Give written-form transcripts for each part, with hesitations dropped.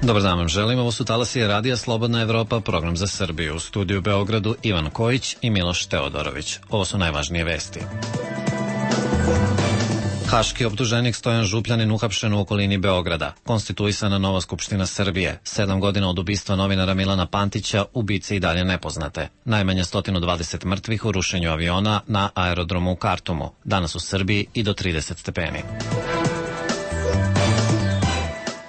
Dobar dan vam želim, ovo su talasi Radija Slobodna Evropa, program za Srbiju. U studiju u Beogradu Ivan Kojić i Miloš Teodorović. Ovo su najvažnije vesti. Haški optuženik Stojan Župljanin uhapšen u okolini Beograda. Konstituisana nova Skupština Srbije. 7 godina od ubistva novinara Milana Pantića, ubice i dalje nepoznate. Najmanje 120 mrtvih u rušenju aviona na aerodromu u Kartumu. Danas u Srbiji i do 30 stepeni.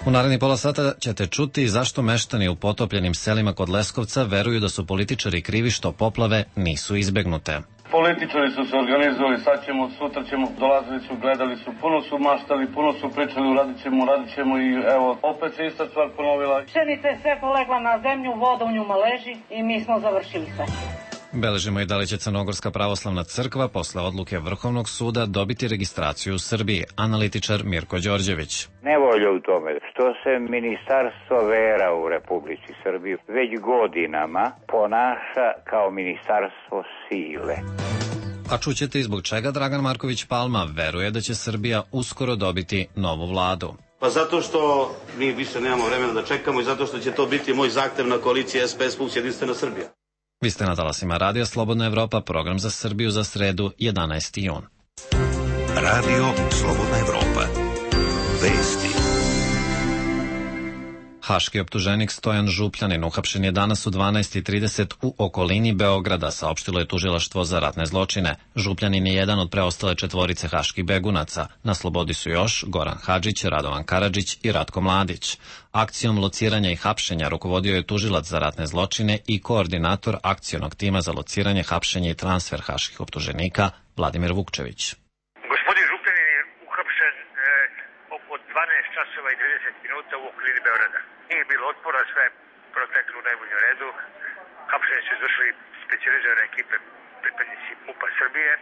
U narednih pola sata ćete čuti zašto meštani u potopljenim selima kod Leskovca veruju da su političari krivi što poplave nisu izbegnute. Političari su se organizovali, sad ćemo, sutra ćemo, dolazili su, gledali su, puno su maštali, puno su pričali, radit ćemo i evo, opet se ista stvar ponovila. Pšenica je sve polegla na zemlju, voda u njuma leži i mi smo završili sve. Beležimo i da li će Crnogorska pravoslavna crkva posle odluke Vrhovnog suda dobiti registraciju u Srbiji. Analitičar Mirko Đorđević. Nevolja u tome što se Ministarstvo vera u Republici Srbiji već godinama ponaša kao ministarstvo sile. A čućete i zbog čega Dragan Marković Palma veruje da će Srbija uskoro dobiti novu vladu. Pa zato što mi više nemamo vremena da čekamo i zato što će to biti moj zahtev na koaliciji SPS plus Jedinstvena Srbija. Vi ste na talasima Radija Slobodna Evropa, program za Srbiju za sredu, 11. jun. Radio Slobodna Evropa. Vesti. Haški optuženik Stojan Župljanin uhapšen je danas u 12:30 u okolini Beograda, saopštilo je tužilaštvo za ratne zločine. Župljanin je jedan od preostale četvorice haških begunaca. Na slobodi su još Goran Hadžić, Radovan Karadžić i Ratko Mladić. Akcijom lociranja i hapšenja rukovodio je tužilac za ratne zločine i koordinator akcionog tima za lociranje, hapšenje i transfer haških optuženika Vladimir Vukčević. Gospodin Župljanin je uhapšen oko 12 časova i 30 minuta u okolini Beograda. Nije bilo otpora, sve proteklo u najboljem redu. Hapšenje su izvršili specijalizirane ekipe, pripadnici MUP-a Srbije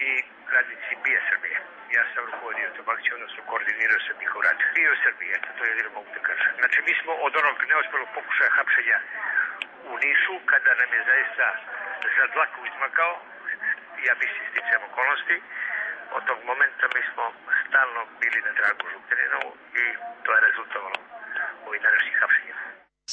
i radnici BIA Srbije. Ja sam rukovodio tom akcijom, odnosno koordinirao sam njihov rad. Bio u Srbiji, eto, to je jedino mogu da kažem. Znači, mi smo od onog neuspjelog pokušaja hapšenja u Nišu, kada nam je zaista za dlaku izmakao, ja mislim sticajem okolnosti, od tog momenta mi smo stalno bili na tragu Župljaninovu i to je rezultovalo ovih današnjih hapšenja.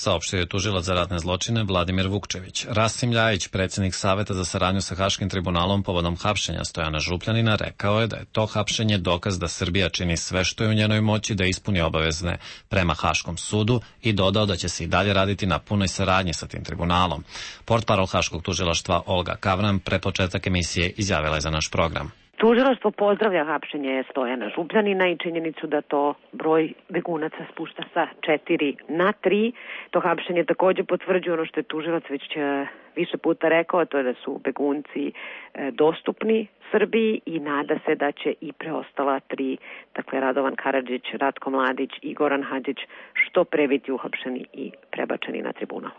Saopštio je tužilac za ratne zločine Vladimir Vukčević. Rasim Ljajić, predsjednik Saveta za saradnju sa Haškim tribunalom povodom hapšenja Stojana Župljanina, rekao je da je to hapšenje dokaz da Srbija čini sve što je u njenoj moći da ispuni obavezne prema Haškom sudu i dodao da će se i dalje raditi na punoj saradnji sa tim tribunalom. Portparol Haškog tužilaštva Olga Kavran pre početak emisije izjavila je za naš program. Tužilaštvo pozdravlja hapšenje Stojana Župljanina i činjenicu da to broj begunaca spušta sa 4 na 3. To hapšenje također potvrđuje ono što je tužilac već više puta rekao, to je da su begunci dostupni Srbiji i nada se da će i preostala 3, dakle Radovan Karadžić, Ratko Mladić i Goran Hadžić, što pre biti uhapšeni i prebačeni na tribunal.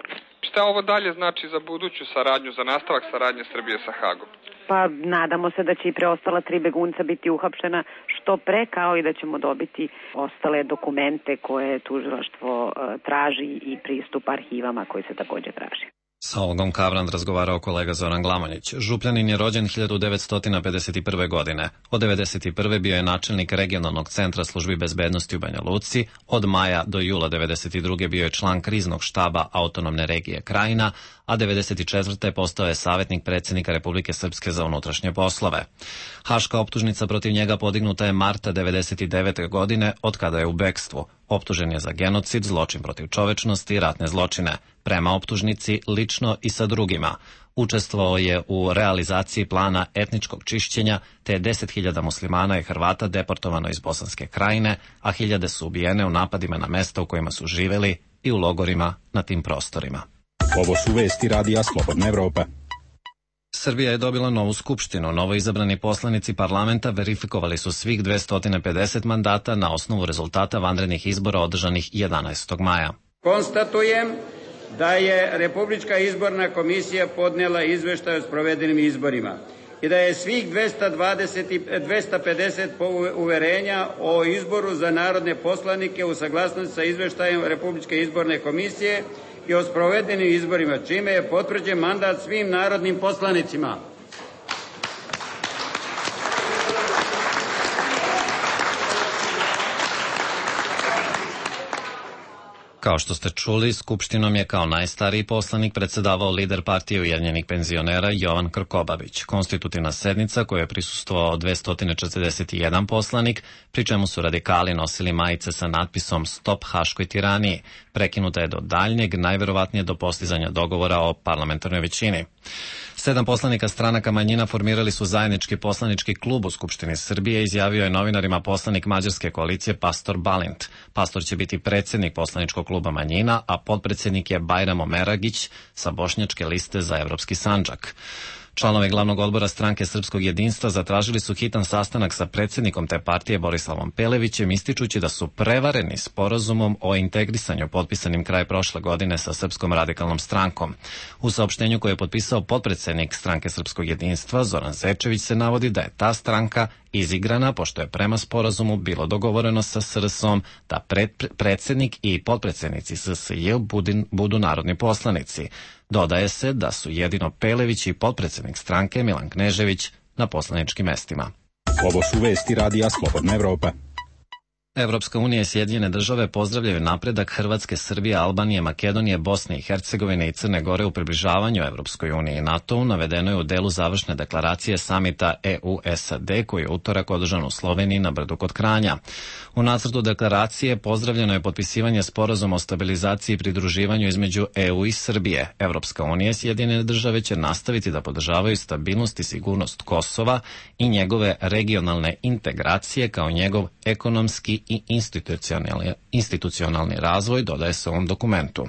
Šta ovo dalje znači za buduću saradnju, za nastavak saradnje Srbije sa Hagom? Pa nadamo se da će i preostala 3 begunca biti uhapšena što pre, kao i da ćemo dobiti ostale dokumente koje tužilaštvo traži i pristup arhivama koji se također traži. Sa Olgom Kavran razgovarao kolega Zoran Glamonjić. Župljanin je rođen 1951. godine. Od 1991. bio je načelnik regionalnog centra službi bezbednosti u Banja Luci. Od maja do jula 1992. bio je član kriznog štaba autonomne regije Krajina, a 1994. postao je savjetnik predsjednika Republike Srpske za unutrašnje poslove. Haška optužnica protiv njega podignuta je marta 1999. godine, od kada je u bekstvu. Optužen je za genocid, zločin protiv čovečnosti i ratne zločine. Prema optužnici, lično i sa drugima. Učestvovao je u realizaciji plana etničkog čišćenja, te 10.000 muslimana i Hrvata deportovano iz Bosanske Krajine, a hiljade su ubijene u napadima na mesta u kojima su živjeli i u logorima na tim prostorima. Ovo su vesti Radija Slobodna Evropa. Srbija je dobila novu skupštinu. Novo izabrani poslanici parlamenta verifikovali su svih 250 mandata na osnovu rezultata vanrednih izbora održanih 11. maja. Konstatujem da je Republička izborna komisija podnijela izveštaj o sprovedenim izborima i da je svih 250 uverenja o izboru za narodne poslanike u saglasnosti sa izveštajem Republičke izborne komisije i o sprovedenim izborima, čime je potvrđen mandat svim narodnim poslanicima. Kao što ste čuli, Skupštinom je kao najstariji poslanik predsedavao lider partije Ujedinjenih penzionera Jovan Krkobabić. Konstitutivna sednica koju je prisustvovao 241 poslanik, pri čemu su radikali nosili majice sa natpisom Stop haškoj tiraniji. Prekinuta je do daljnjeg, najverovatnije do postizanja dogovora o parlamentarnoj većini. 7 poslanika stranaka manjina formirali su zajednički poslanički klub u Skupštini Srbije, izjavio je novinarima poslanik mađarske koalicije Pastor Balint. Pastor će biti predsjednik poslaničkog kluba manjina, a potpredsjednik je Bajramo Meragić sa bošnjačke liste za Evropski Sandžak. Članovi glavnog odbora stranke Srpskog jedinstva zatražili su hitan sastanak sa predsjednikom te partije Borislavom Pelevićem, ističući da su prevareni sporazumom o integrisanju potpisanim kraj prošle godine sa Srpskom radikalnom strankom. U saopštenju koje je potpisao potpredsjednik stranke Srpskog jedinstva Zoran Zečević se navodi da je ta stranka izigrana, pošto je prema sporazumu bilo dogovoreno sa SRS-om da predsjednik i potpredsjednici SSJ budu narodni poslanici. Dodaje se da su jedino Pelević i potpredsjednik stranke Milan Knežević na poslaničkim mestima. Ovo su vesti Radija Slobodna Evropa. Evropska unija i Sjedinjene države pozdravljaju napredak Hrvatske, Srbije, Albanije, Makedonije, Bosne i Hercegovine i Crne Gore u približavanju Evropskoj uniji i NATO-u, navedeno je u delu završne deklaracije samita EU-SAD koji je utorak održan u Sloveniji na Brdu kod Kranja. U nacrtu deklaracije pozdravljeno je potpisivanje sporazuma o stabilizaciji i pridruživanju između EU i Srbije. Evropska unija i Sjedinjene države će nastaviti da podržavaju stabilnost i sigurnost Kosova i njegove regionalne integracije kao njegov ekonomski i institucionalni razvoj, dodaje se u ovom dokumentu.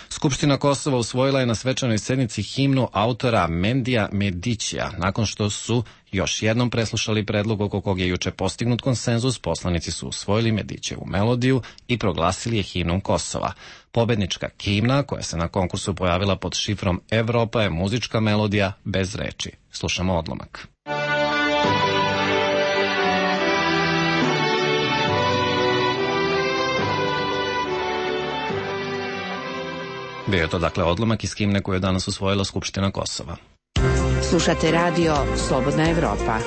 Skupština Kosova usvojila je na svečanoj sednici himnu autora Mendija Medićija. Nakon što su još jednom preslušali predlog oko kog je juče postignut konsenzus, poslanici su usvojili Medićevu melodiju i proglasili je himnom Kosova. Pobednička himna, koja se na konkursu pojavila pod šifrom Evropa, je muzička melodija bez reči. Slušamo odlomak. Bio je to dakle odlomak iz himne koju je danas usvojila Skupština Kosova. Slušate radio Slobodna Evropa.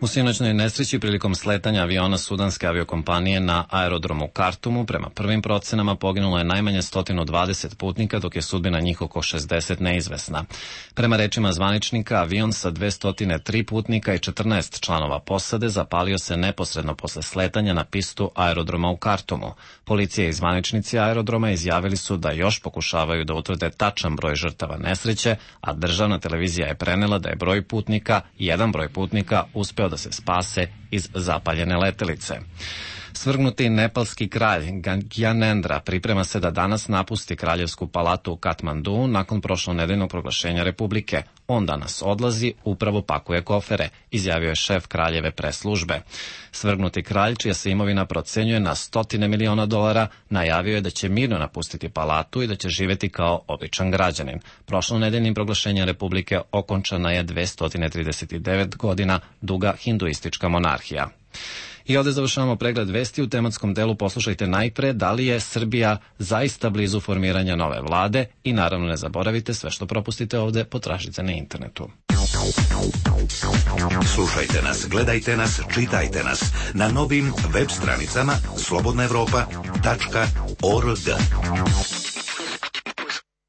U sinoćnoj nesreći prilikom sletanja aviona sudanske aviokompanije na aerodromu Kartumu, prema prvim procenama poginulo je najmanje 120 putnika, dok je sudbina njih oko 60 neizvesna. Prema rečima zvaničnika, avion sa 203 putnika i 14 članova posade zapalio se neposredno posle sletanja na pistu aerodroma u Kartumu. Policija i zvaničnici aerodroma izjavili su da još pokušavaju da utvrde tačan broj žrtava nesreće, a državna televizija je prenela da je jedan broj putnika uspeo da se spase iz zapaljene letelice. Svrgnuti nepalski kralj Gyanendra priprema se da danas napusti kraljevsku palatu u Katmandu nakon prošlonedeljnog proglašenja republike. On danas odlazi, upravo pakuje kofere, izjavio je šef kraljeve pres službe. Svrgnuti kralj, čija se imovina procenjuje na $100 miliona, najavio je da će mirno napustiti palatu i da će živeti kao običan građanin. Prošlonedeljnim proglašenjem republike okončana je 239 godina duga hinduistička monarhija. I ovdje završavamo pregled vesti. U tematskom delu poslušajte najpre da li je Srbija zaista blizu formiranja nove vlade i naravno ne zaboravite, sve što propustite ovdje potražite na internetu. Slušajte nas, gledajte nas, čitajte nas na novim web stranicama slobodnaevropa.org.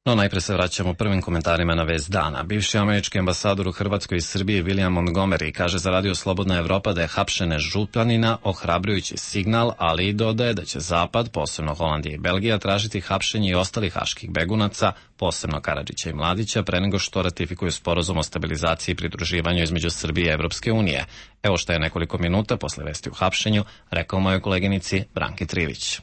No najpre se vraćamo prvim komentarima na vest dana. Bivši američki ambasador u Hrvatskoj i Srbiji William Montgomery kaže za radio Slobodna Evropa da je hapšenje županina ohrabrujući signal, ali i dodaje da će Zapad, posebno Holandija i Belgija, tražiti hapšenje i ostalih haških begunaca, posebno Karadžića i Mladića, pre nego što ratifikuju sporazum o stabilizaciji i pridruživanju između Srbije i Evropske unije. Evo što je nekoliko minuta posle vesti u hapšenju rekao mojoj koleginici Branki Trivić.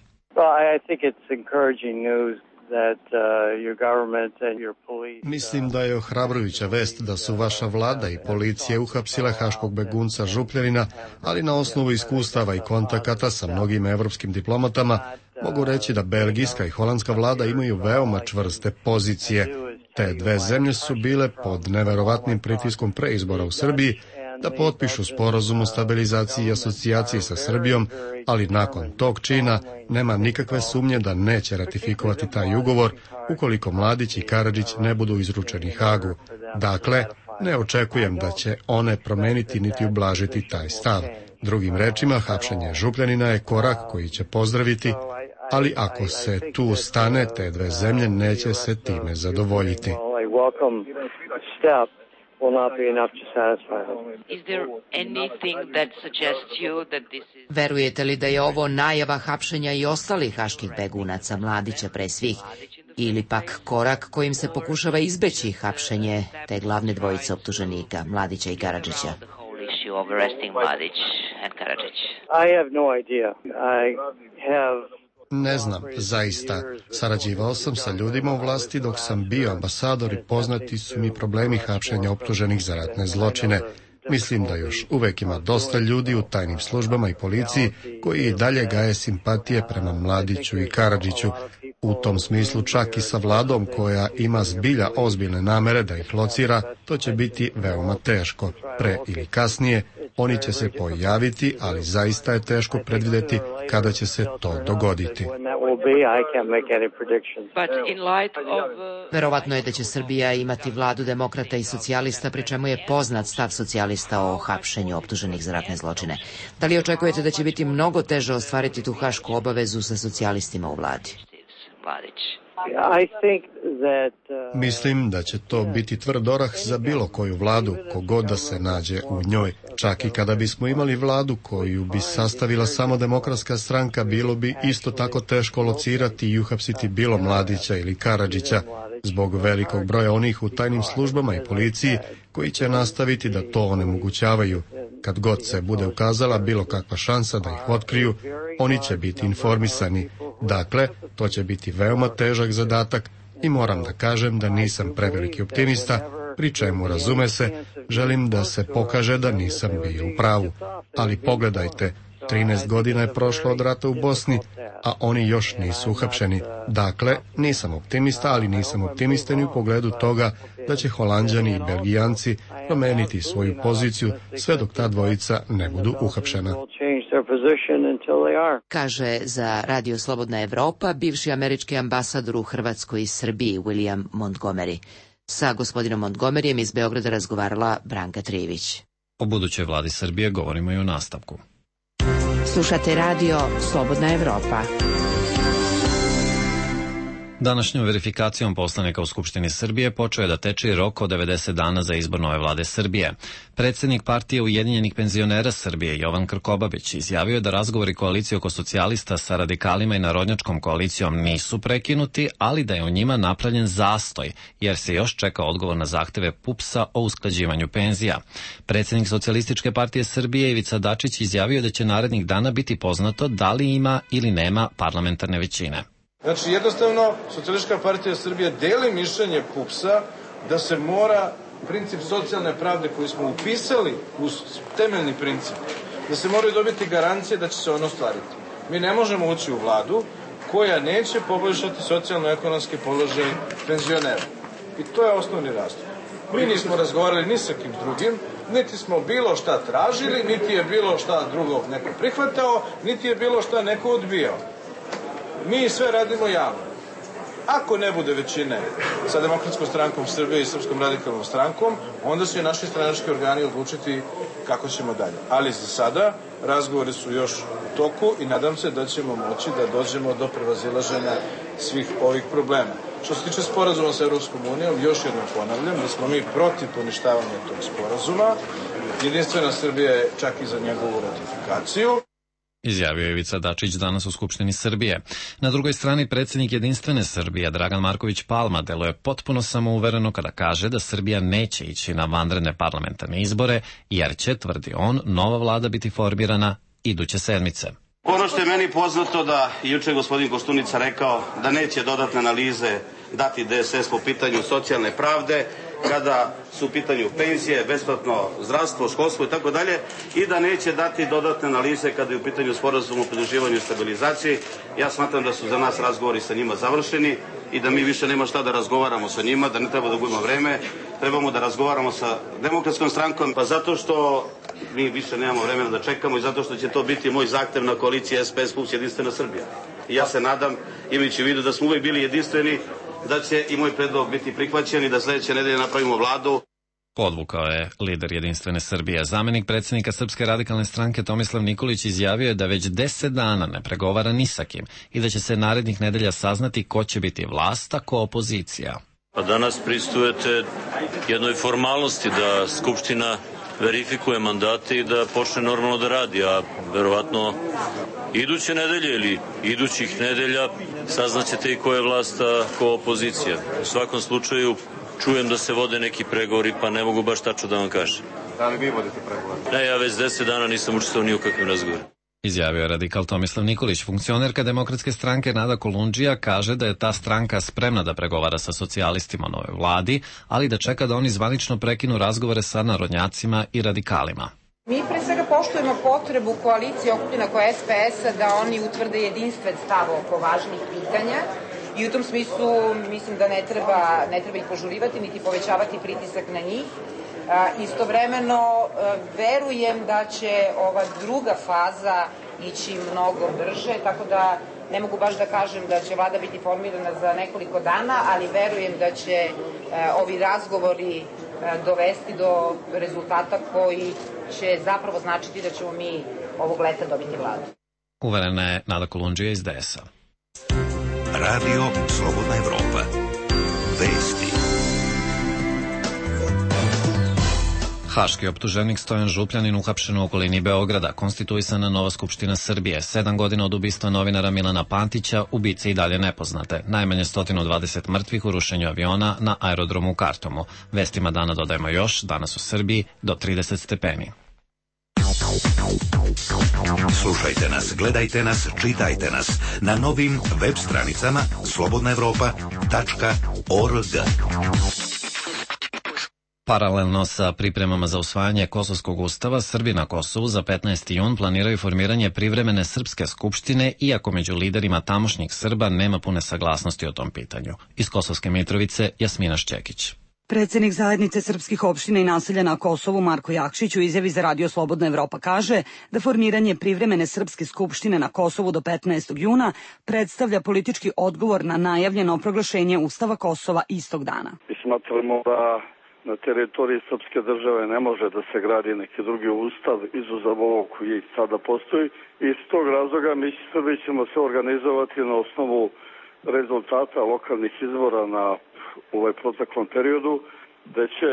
Mislim da je ohrabrujuća vest da su vaša vlada i policije uhapsile haškog begunca Župljanina, ali na osnovu iskustava i kontakata sa mnogim evropskim diplomatama mogu reći da belgijska i holandska vlada imaju veoma čvrste pozicije. Te dve zemlje su bile pod neverovatnim pritiskom pre izbora u Srbiji da potpišu sporazum o stabilizaciji i asocijaciji sa Srbijom, ali nakon tog čina nema nikakve sumnje da neće ratifikovati taj ugovor ukoliko Mladić i Karadžić ne budu izručeni Hagu. Dakle, ne očekujem da će one promeniti niti ublažiti taj stav. Drugim rečima, hapšenje Župljanina je korak koji će pozdraviti, ali ako se tu stane, te dve zemlje neće se time zadovoljiti. Verujete li da je ovo najava hapšenja i ostalih haških begunaca, Mladića pre svih, ili pak korak kojim se pokušava izbeći hapšenje te glavne dvojice optuženika, Mladića i Karadžića? Ne znam, zaista. Sarađivao sam sa ljudima u vlasti dok sam bio ambasador i poznati su mi problemi hapšenja optuženih za ratne zločine. Mislim da još uvek ima dosta ljudi u tajnim službama i policiji koji i dalje gaje simpatije prema Mladiću i Karadžiću. U tom smislu čak i sa vladom koja ima zbilja ozbiljne namere da ih locira, to će biti veoma teško. Pre ili kasnije oni će se pojaviti, ali zaista je teško predvideti kada će se to dogoditi. Verovatno je da će Srbija imati vladu demokrata i socijalista, pri čemu je poznat stav socijalista o hapšenju optuženih za ratne zločine. Da li očekujete da će biti mnogo teže ostvariti tu hašku obavezu sa socijalistima u vladi? Mislim da će to biti tvrd orah za bilo koju vladu, kogod da se nađe u njoj. Čak i kada bismo imali vladu koju bi sastavila samo Demokratska stranka, bilo bi isto tako teško locirati i uhapsiti bilo Mladića ili Karadžića, zbog velikog broja onih u tajnim službama i policiji koji će nastaviti da to onemogućavaju. Kad god se bude ukazala bilo kakva šansa da ih otkriju, oni će biti informisani. Dakle, to će biti veoma težak zadatak i moram da kažem da nisam preveliki optimista, pri čemu, razume se, želim da se pokaže da nisam bio u pravu. Ali pogledajte, 13 godina je prošlo od rata u Bosni, a oni još nisu uhapšeni. Dakle, nisam optimista, ali nisam optimista ni u pogledu toga da će Holanđani i Belgijanci promeniti svoju poziciju sve dok ta dvojica ne budu uhapšena. Kaže za Radio Slobodna Evropa bivši američki ambasador u Hrvatskoj i Srbiji William Montgomery. Sa gospodinom Montgomeryjem iz Beograda razgovarala Branka Trijević. O budućoj vladi Srbije govorimo i u nastavku. Slušate Radio Slobodna Evropa. Današnjom verifikacijom poslanika u Skupštini Srbije počeo je da teče rok od 90 dana za izbor nove vlade Srbije. Predsednik partije Ujedinjenih penzionera Srbije Jovan Krkobabić izjavio je da razgovori koalicije oko socijalista sa radikalima i narodnjačkom koalicijom nisu prekinuti, ali da je u njima napravljen zastoj, jer se još čeka odgovor na zahteve PUPS-a o usklađivanju penzija. Predsednik Socijalističke partije Srbije Ivica Dačić izjavio je da će narednih dana biti poznato da li ima ili nema parlamentarne većine. Znači, jednostavno, Socijalistička partija Srbije deli mišljenje PUPS-a da se mora princip socijalne pravde koji smo upisali u temeljni princip, da se moraju dobiti garancije da će se ono ostvariti. Mi ne možemo ući u vladu koja neće poboljšati socijalno-ekonomski položaj penzionera. I to je osnovni razlog. Mi nismo razgovarali ni sa kim drugim, niti smo bilo šta tražili, niti je bilo šta drugo neko prihvatao, niti je bilo šta neko odbijao. Mi sve radimo javno. Ako ne bude većine sa Demokratskom strankom Srbije i Srpskom radikalnom strankom, onda će naši stranački organi odlučiti kako ćemo dalje. Ali za sada razgovori su još u toku i nadam se da ćemo moći da dođemo do prevazilaženja svih ovih problema. Što se tiče sporazuma sa Evropskom unijom, još jednom ponavljam da smo mi protiv poništavanja tog sporazuma. Jedinstvena Srbija je čak i za njegovu ratifikaciju. Izjavio je Ivica Dačić danas u Skupštini Srbije. Na drugoj strani predsjednik Jedinstvene Srbije Dragan Marković Palma deluje potpuno samouvereno kada kaže da Srbija neće ići na vanredne parlamentarne izbore, jer će, tvrdi on, nova vlada biti formirana iduće sedmice. Ono što je meni poznato da juče gospodin Koštunica rekao da neće dodatne analize dati DSS po pitanju socijalne pravde, kada su u pitanju penzije, besplatno zdravstvo, školstvo i tako dalje, i da neće dati dodatne analize kada je u pitanju sporazum o pridruživanju i stabilizaciji. Ja smatram da su za nas razgovori sa njima završeni i da mi više nema šta da razgovaramo sa njima, da ne treba da gubimo vreme, trebamo da razgovaramo sa Demokratskom strankom, pa zato što mi više nemamo vremena da čekamo i zato što će to biti moj zahtev na koaliciji SPS plus Jedinstvena Srbija. I ja se nadam, imajući u vidu da smo uvek bili jedinstveni, da će i moj predlog biti prihvaćen i da sledeće nedelje napravimo vladu. Podvukao je lider Jedinstvene Srbije. Zamenik predsjednika Srpske radikalne stranke Tomislav Nikolić izjavio je da već 10 dana ne pregovara ni sa kim i da će se narednih nedelja saznati ko će biti vlast, a ko opozicija. Pa danas pristujete jednoj formalnosti da Skupština verifikuje mandate i da počne normalno da radi, a verovatno iduće nedelje ili idućih nedelja saznaćete i ko je vlast, a ko opozicija. U svakom slučaju čujem da se vode neki pregovori, pa ne mogu baš tačno da vam kažem. Da li vi vodite pregovore? Ne, ja već 10 dana nisam učestvovao ni u kakvim razgovorima. Izjavio je radikal Tomislav Nikolić. Funkcionerka Demokratske stranke Nada Kolundžija kaže da je ta stranka spremna da pregovara sa socijalistima nove vladi, ali da čeka da oni zvanično prekinu razgovore sa narodnjacima i radikalima. Mi pre svega poštujemo potrebu koalicije okupljena oko SPS-a da oni utvrde jedinstven stav oko važnih pitanja i u tom smislu mislim da ne treba ih požurivati niti povećavati pritisak na njih. Istovremeno verujem da će ova druga faza ići mnogo brže, tako da ne mogu baš da kažem da će vlada biti formirana za nekoliko dana, ali verujem da će ovi razgovori dovesti do rezultata koji će zapravo značiti da ćemo mi ovog leta dobiti vladu. Uverena je Nada Kolundžija iz DS-a. Radio Slobodna Evropa. Vesti. Haški optuženik Stojan Župljanin uhapšen u okolini Beograda, konstituisana nova Skupština Srbije, 7 godina od ubistva novinara Milana Pantića, ubice i dalje nepoznate, najmanje 120 mrtvih u rušenju aviona na aerodromu u Kartomu. Vestima dana dodajemo još, danas u Srbiji do 30 stepeni. Slušajte nas, gledajte nas, čitajte nas na novim web stranicama slobodnaevropa.org. Paralelno sa pripremama za usvajanje Kosovskog ustava, Srbi na Kosovu za 15. jun planiraju formiranje privremene srpske skupštine, iako među liderima tamošnjih Srba nema pune saglasnosti o tom pitanju. Iz Kosovske Mitrovice, Jasmina Šćekić. Predsednik zajednice srpskih opština i naselja na Kosovu Marko Jakšić u izjavi za Radio Slobodna Evropa kaže da formiranje privremene srpske skupštine na Kosovu do 15. juna predstavlja politički odgovor na najavljeno proglašenje Ustava Kosova istog dana. Smatramo da na teritoriji srpske države ne može da se gradi neki drugi ustav izuzav ovog koji sada postoji. Iz tog razloga mi Srbi ćemo se organizovati na osnovu rezultata lokalnih izbora na ovaj proteklom periodu, da će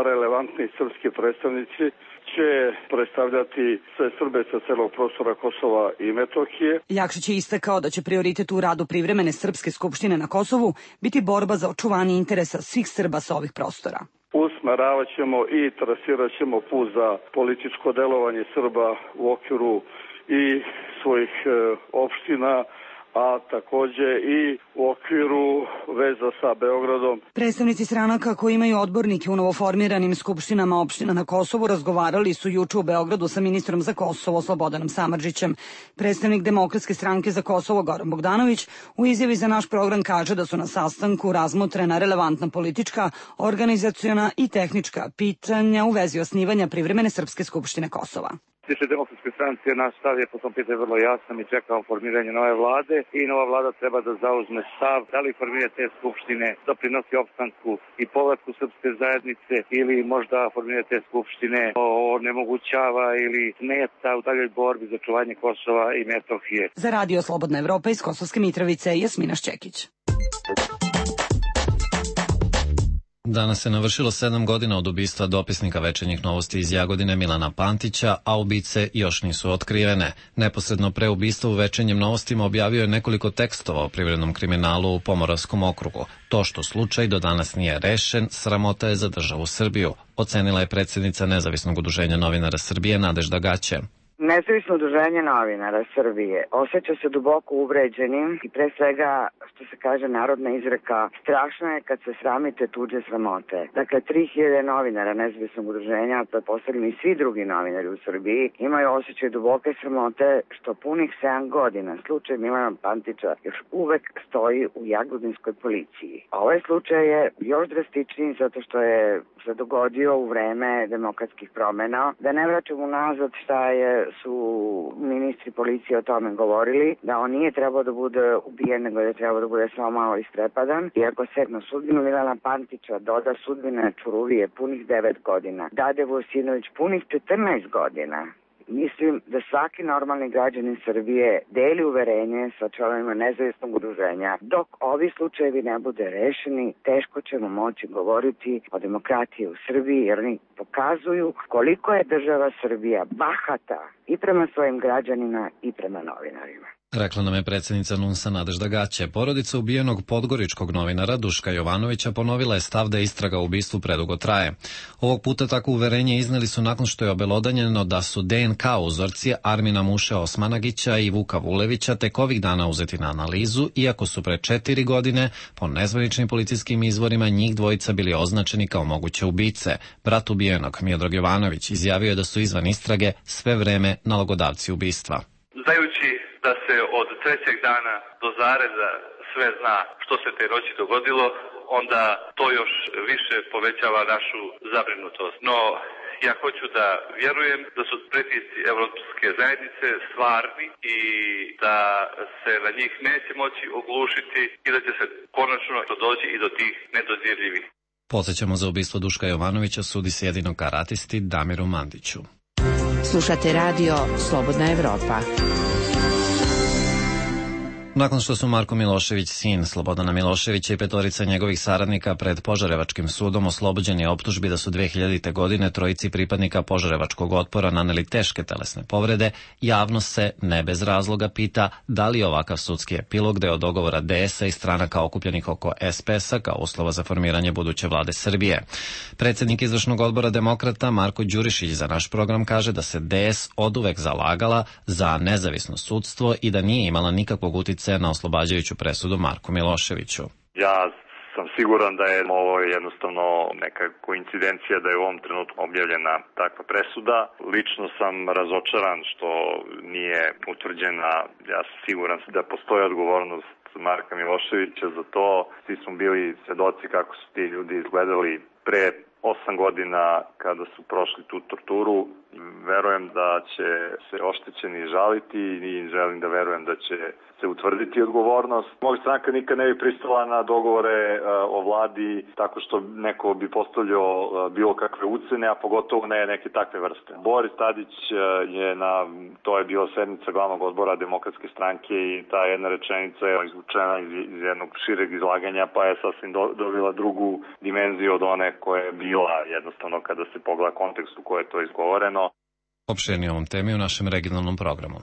relevantni srpski predstavnici će predstavljati sve Srbe sa celog prostora Kosova i Metohije. Jakšić je istakao da će prioritet u radu privremene srpske skupštine na Kosovu biti borba za očuvanje interesa svih Srba sa ovih prostora. Usmeravat ćemo i trasirat ćemo put za političko delovanje Srba u okviru i svojih opština, a takođe i u okviru veza sa Beogradom. Predstavnici stranaka koji imaju odbornike u novoformiranim skupštinama opština na Kosovu razgovarali su juče u Beogradu sa ministrom za Kosovo Slobodanom Samardžićem. Predstavnik Demokratske stranke za Kosovo Goran Bogdanović u izjavi za naš program kaže da su na sastanku razmotrena relevantna politička, organizaciona i tehnička pitanja u vezi osnivanja privremene srpske skupštine Kosova. Tiče Demokratske stranke, naš stav je po tom pitanju vrlo jasan i čekamo formiranje nove vlade i nova vlada treba da zauzme stav da li formiranje te skupštine doprinosi opstanku i povratku srpske zajednice ili možda formiranje te skupštine onemogućava ili smeta u daljoj borbi za čuvanje Kosova i Metohije. Za Radio Slobodna Evropa iz Kosovske Mitrovice, Jasmina Šćekić. Danas se navršilo 7 godina od ubistva dopisnika Večernjih novosti iz Jagodine Milana Pantića, a ubice još nisu otkrivene. Neposredno pre ubistva u Večernjim novostima objavio je nekoliko tekstova o privrednom kriminalu u Pomoravskom okrugu. To što slučaj do danas nije rešen, sramota je za državu Srbiju, ocenila je predsjednica Nezavisnog udruženja novinara Srbije Nadežda Gaće. Nezavisno udruženje novinara Srbije osjeća se duboko uvređenim i pre svega, što se kaže narodna izreka, strašno je kad se sramite tuđe sramote. Dakle, 3000 novinara nezavisnog udruženja, pretpostavljam i svi drugi novinari u Srbiji, imaju osjećaj duboke sramote što punih 7 godina slučaj Milana Pantića još uvek stoji u jagodinskoj policiji. Ovaj slučaj je još drastičniji zato što je se dogodio u vreme demokratskih promena. Da ne vraćam unazad šta je su ministri policije o tome govorili, da on nije trebao da bude ubijen, nego da je trebao da bude samo malo istrepadan. I ako se na sudbinu Milana Pantića doda sudbina Čuruvije punih 9 godina, Dade Vojsinović punih 14 godina, mislim da svaki normalni građanin Srbije deli uverenje sa članovima nezavisnog udruženja. Dok ovi slučajevi ne bude rešeni, teško ćemo moći govoriti o demokratiji u Srbiji, jer oni pokazuju koliko je država Srbija bahata i prema svojim građanima i prema novinarima. Rekla nam je predsjednica NUNS-a Nadežda Gaće. Porodica ubijenog podgoričkog novinara Duška Jovanovića ponovila je stav da istraga o ubistvu predugo traje. Ovog puta takvo uverenje izneli su nakon što je obelodanjeno da su DNK uzorci Armina Muše Osmanagića i Vuka Vulevića tek ovih dana uzeti na analizu, iako su pre 4 godine po nezvaničnim policijskim izvorima njih dvojica bili označeni kao moguće ubice. Brat ubijenog, Miodrag Jovanović, izjavio je da su izvan istrage sve vreme nalogodavci ubistva. Znajući da se od 3. dana do zareza sve zna što se te noći dogodilo, onda to još više povećava našu zabrinutost. No, ja hoću da vjerujem da su pritisci Evropske zajednice stvarni i da se na njih neće moći oglušiti i da će se konačno doći i do tih nedodirljivih. Podsjećamo, za ubistvo Duška Jovanovića sudi se jedino karatisti Damiru Mandiću. Slušate radio Slobodna Evropa. Nakon što su Marko Milošević, sin Slobodana Miloševića, i 5 njegovih saradnika pred Požarevačkim sudom oslobođeni optužbi da su 2000. godine trojici pripadnika Požarevačkog otpora naneli teške telesne povrede, javnost se ne bez razloga pita da li je ovakav sudski epilog deo dogovora DS-a i stranaka okupljenih oko SPS-a kao uslova za formiranje buduće vlade Srbije. Predsjednik izvršnog odbora Demokrata Marko Đurišić za naš program kaže da se DS oduvek zalagala za nezavisno sudstvo i da nije imala nikakvog uticaja na oslobađajuću presudu Marku Miloševiću. Ja sam siguran da je ovo jednostavno neka koincidencija da je u ovom trenutku objavljena takva presuda. Lično sam razočaran što nije utvrđena. Ja sam siguran da postoji odgovornost Marka Miloševića za to. Svi smo bili svedoci kako su ti ljudi izgledali pre 8 godina kada su prošli tu torturu. Verujem da će se oštećeni žaliti i želim da verujem da će se utvrditi odgovornost. Moja stranka nikad ne bi pristala na dogovore o vladi tako što neko bi postavljao bilo kakve ucene, a pogotovo ne neke takve vrste. Boris Tadić je to je bila sednica glavnog odbora Demokratske stranke i ta jedna rečenica je izvučena iz jednog šireg izlaganja, pa je sasvim dobila drugu dimenziju od one koja je bila jednostavno kada se pogleda kontekst u kojoj je to izgovoreno. Opširnije ovom temi u našem regionalnom programu.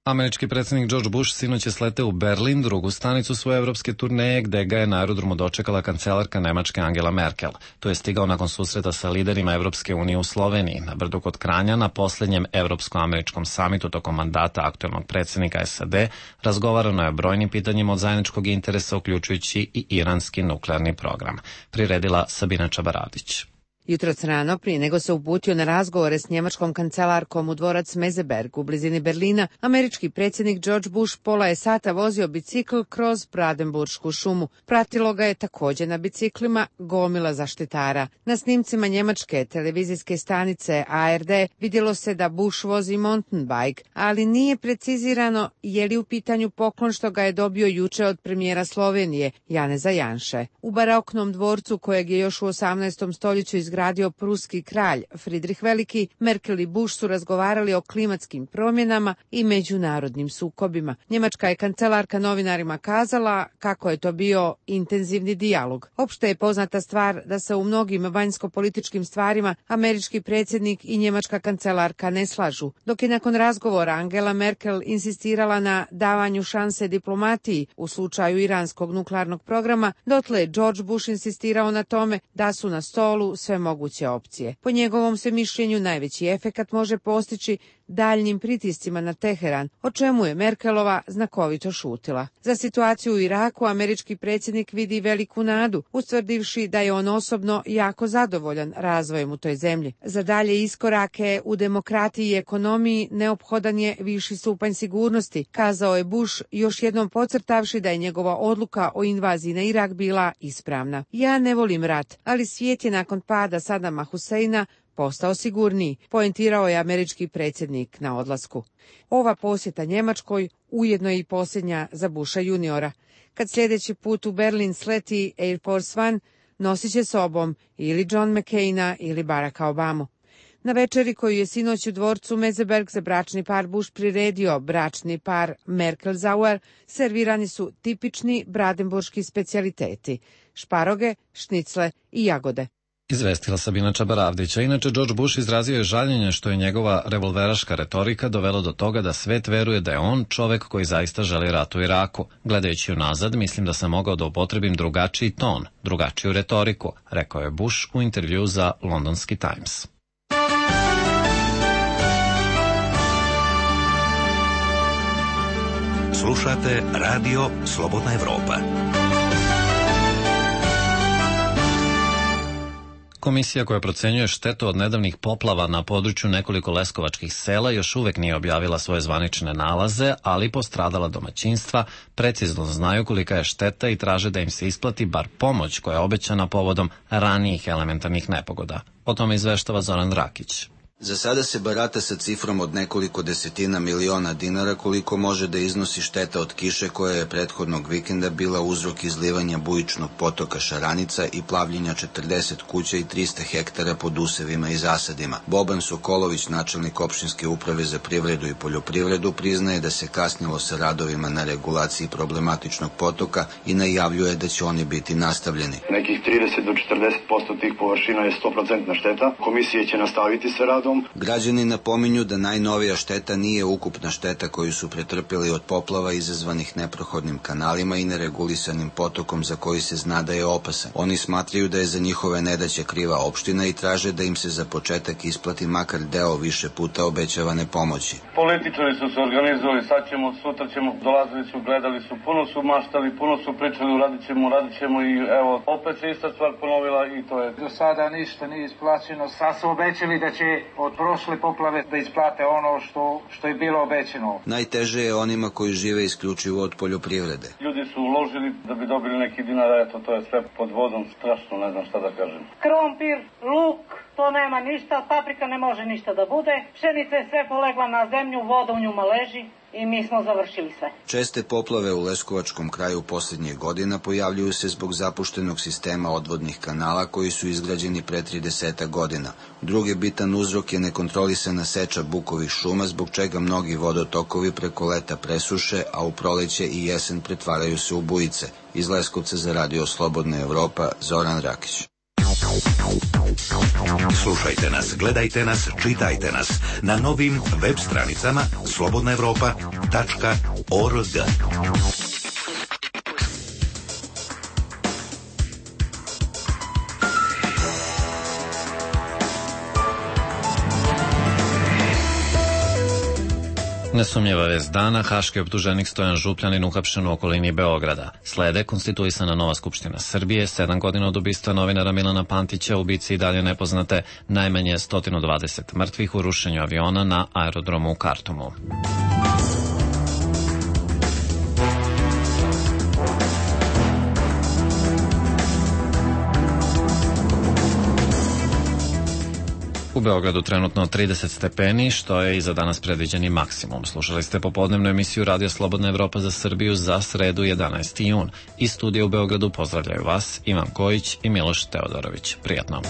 Američki predsjednik George Bush sinoć je sleteo u Berlin, drugu stanicu svoje evropske turneje, gde ga je na aerodromu dočekala kancelarka Nemačke Angela Merkel. To je stigao nakon susreta sa liderima Evropske unije u Sloveniji, na Brdu kod Kranja, na posljednjem Evropsko-američkom samitu tokom mandata aktuelnog predsjednika SAD. Razgovarano je o brojnim pitanjima od zajedničkog interesa, uključujući i iranski nuklearni program. Priredila Sabina Čabaradić. Jutroc rano, prije nego se uputio na razgovore s njemačkom kancelarkom u dvorac Meseberg u blizini Berlina, američki predsjednik George Bush pola je sata vozio bicikl kroz Brandenburšku šumu. Pratilo ga je također na biciklima gomila zaštitara. Na snimcima njemačke televizijske stanice ARD vidjelo se da Bush vozi mountain bike, ali nije precizirano je li u pitanju poklon što ga je dobio juče od premijera Slovenije, Janeza Janše. U baroknom dvorcu, kojeg je još u 18. stoljeću izgradio pruski kralj Fridrih Veliki, Merkel i Bush su razgovarali o klimatskim promjenama i međunarodnim sukobima. Njemačka je kancelarka novinarima kazala kako je to bio intenzivni dijalog. Opšte je poznata stvar da se u mnogim vanjsko-političkim stvarima američki predsjednik i njemačka kancelarka ne slažu. Dok je nakon razgovora Angela Merkel insistirala na davanju šanse diplomatiji u slučaju iranskog nuklearnog programa, dotle je George Bush insistirao na tome da su na stolu sve moguće opcije. Po njegovom se mišljenju najveći efekat može postići daljnjim pritiscima na Teheran, o čemu je Merkelova znakovito šutila. Za situaciju u Iraku američki predsjednik vidi veliku nadu, ustvrdivši da je on osobno jako zadovoljan razvojem u toj zemlji. Za dalje iskorake u demokratiji i ekonomiji neophodan je viši stupanj sigurnosti, kazao je Bush, još jednom podcrtavši da je njegova odluka o invaziji na Irak bila ispravna. Ja ne volim rat, ali svijet je nakon pada Sadama Huseina postao sigurniji, poentirao je američki predsjednik na odlasku. Ova posjeta Njemačkoj ujedno je i posljednja za Busha juniora. Kad sljedeći put u Berlin sleti Air Force One, nosit će sobom ili John McCaina ili Baracka Obamu. Na večeri koju je sinoć u dvorcu Meseberg za bračni par Bush priredio bračni par Merkel-Sauer, servirani su tipični brandenburški specijaliteti, šparoge, šnicle i jagode. Izvestila Sabina Čabaravdića. Inače, George Bush izrazio je žaljenje što je njegova revolveraška retorika dovela do toga da svet veruje da je on čovek koji zaista želi rat u Iraku. Gledajući unazad, mislim da sam mogao da upotrebim drugačiji ton, drugačiju retoriku, rekao je Bush u intervju za Londonski Times. Slušate Radio Slobodna Evropa. Komisija koja procenjuje štetu od nedavnih poplava na području nekoliko leskovačkih sela još uvek nije objavila svoje zvanične nalaze, ali postradala domaćinstva precizno znaju kolika je šteta i traže da im se isplati bar pomoć koja je obećana povodom ranijih elementarnih nepogoda. O tome izveštava Zoran Rakić. Za sada se barata sa cifrom od nekoliko desetina miliona dinara koliko može da iznosi šteta od kiše koja je prethodnog vikenda bila uzrok izlivanja bujičnog potoka Šaranica i plavljenja 40 kuća i 300 hektara pod usevima i zasadima. Boban Sokolović, načelnik opštinske uprave za privredu i poljoprivredu, priznaje da se kasnilo sa radovima na regulaciji problematičnog potoka i najavljuje da će oni biti nastavljeni. Nekih 30 do 40% tih površina je 100% šteta. Komisije će nastaviti sa radom. Građani napominju da najnovija šteta nije ukupna šteta koju su pretrpjeli od poplava izazvanih neprohodnim kanalima i neregulisanim potokom za koji se zna da je opasan. Oni smatraju da je za njihove nedaće kriva opština i traže da im se za početak isplati makar deo više puta obećavane pomoći. Političari su se organizovali, sad ćemo, sutra ćemo, dolazili su, gledali su, puno su maštali, puno su pričali, radit ćemo i evo, opet se ista stvar ponovila i to je. Do sada ništa nije isplaćeno, sad su obećali da će od prošle poplave da isplate ono što je bilo obećano. Najteže je onima koji žive isključivo od poljoprivrede. Ljudi su uložili da bi dobili neki dinar, eto to je sve pod vodom, strašno, ne znam šta da kažem. Krompir, luk, to nema ništa, paprika ne može ništa da bude, pšenica je sve polegla na zemlju, voda u njuma leži i mi smo završili sve. Česte poplave u Leskovačkom kraju posljednjih godina pojavljuju se zbog zapuštenog sistema odvodnih kanala koji su izgrađeni pre 30 godina. Drugi bitan uzrok je nekontrolisana seča bukovih šuma, zbog čega mnogi vodotokovi preko leta presuše, a u proleće i jesen pretvaraju se u bujice. Iz Leskovca za Radio Slobodna Evropa, Zoran Rakić. Slušajte nas, gledajte nas, čitajte nas na novim web stranicama slobodnaevropa.org. Nesumnjiva vest dana, haški optuženik Stojan Župljanin uhapšen u okolini Beograda. Slede konstituisana nova Skupština Srbije, 7 godina od ubistva novinara Milana Pantića, ubici i dalje nepoznate, najmanje 120 mrtvih u rušenju aviona na aerodromu u Kartumu. U Beogradu trenutno 30 stepeni, što je i za danas predviđeni maksimum. Slušali ste popodnevnu emisiju Radio Slobodna Evropa za Srbiju za sredu 11. jun. Iz studija u Beogradu pozdravljaju vas Ivan Kojić i Miloš Teodorović. Prijatno.